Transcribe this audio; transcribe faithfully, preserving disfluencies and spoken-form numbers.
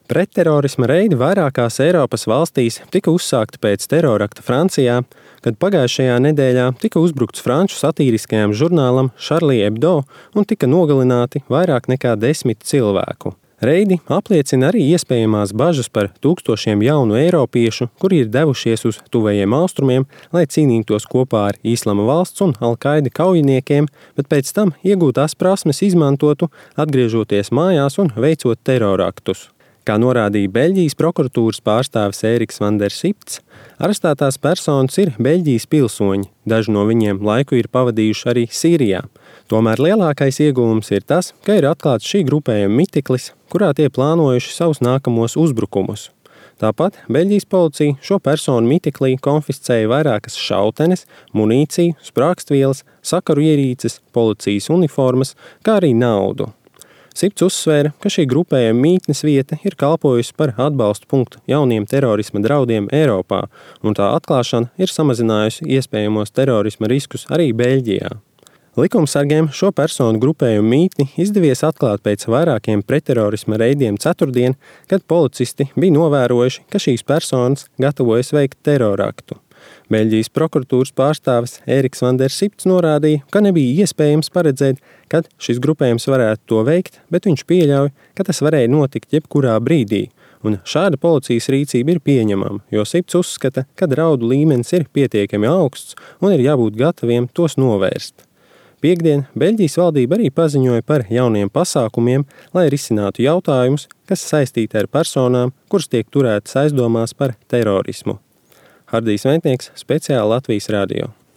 Pretterorisma reidi vairākās Eiropas valstīs tika uzsākti pēc terorakta Francijā, kad pagājušajā nedēļā tika uzbrukts franču satīriskajam žurnālam Charlie Hebdo un tika nogalināti vairāk nekā desmit cilvēku. Reidi apliecina arī iespējamās bažas par tūkstošiem jaunu eiropiešu, kuri ir devušies uz tuvējiem austrumiem, lai cīnītos kopā ar Islama valsts un Al-Qaida kaujiniekiem, bet pēc tam iegūtās prasmes izmantotu, atgriežoties mājās un veicot teroraktus. Kā norādīja Beļģijas prokuratūras pārstāvis Ēriks van der Sipts, arestētās personas ir Beļģijas pilsoņi, daži no viņiem laiku ir pavadījuši arī Sīrijā. Tomēr lielākais ieguvums ir tas, ka ir atklāts šī grupējuma mitiklis, kurā tie plānojuši savus nākamos uzbrukumus. Tāpat Beļģijas policija šo personu mitiklī konfiscēja vairākas šautenes, munīciju, sprākstvielas, sakaru ierīces, policijas uniformas, kā arī naudu. Sipts uzsvēra, ka šī grupējuma mītnes vieta ir kalpojusi par atbalstu punktu jauniem terorisma draudiem Eiropā, un tā atklāšana ir samazinājusi iespējamos terorisma riskus arī Beļģijā. Likumsargiem šo personu grupējumu mītni izdevies atklāt pēc vairākiem pretterorisma reidiem ceturtdien, kad policisti bija novērojuši, ka šīs personas gatavojas veikt teroraktu. Beļģijas prokuratūras pārstāvis Ēriks van der Sipts norādīja, ka nebija iespējams paredzēt, kad šis grupējums varētu to veikt, bet viņš pieļauj, ka tas varēja notikt jebkurā brīdī, un šāda policijas rīcība ir pieņemama, jo Sipts uzskata, ka draudu līmenis ir pietiekami augsts un ir jābūt gataviem tos novērst. Piektdien Beļģijas valdība arī paziņoja par jauniem pasākumiem, lai risinātu jautājumus, kas saistīti ar personām, kuras tiek turētas aizdomās par terorismu. Hardijs Ventnieks, speciāli Latvijas radio.